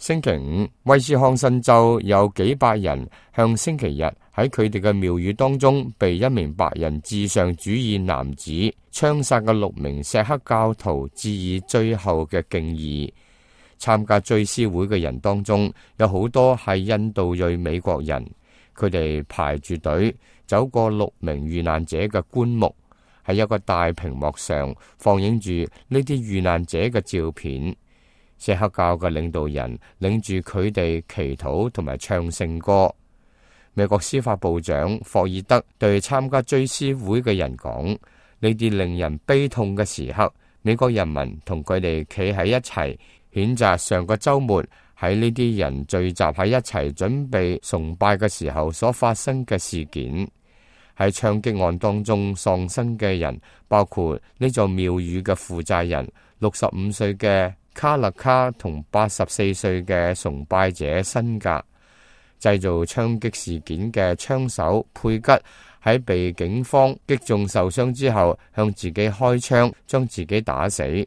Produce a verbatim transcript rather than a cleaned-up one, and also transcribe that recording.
星期五，威斯康辛州有幾百人向星期日喺佢哋嘅廟宇當中被一名白人至上主義男子槍殺嘅六名錫克教徒致以最後嘅敬意。參加追思會嘅人當中有好多係印度裔美國人，佢哋排住隊走過六名遇難者嘅棺木，喺一個大屏幕上放映住呢啲遇難者嘅照片。錫克教嘅領導人領住佢哋祈禱同埋唱聖歌。美國司法部長霍爾德對參加追思會嘅人講：呢啲令人悲痛嘅時刻，美國人民同佢哋企喺一齊，譴責上個週末喺呢啲人聚集喺一齊準備崇拜嘅時候所發生嘅事件。喺槍擊案當中喪生嘅人包括呢座廟宇嘅負責人六十五歲嘅卡勒卡同八十四歲嘅崇拜者辛格。製造槍擊事件嘅槍手佩吉喺被警方擊中受傷之後向自己開槍，將自己打死。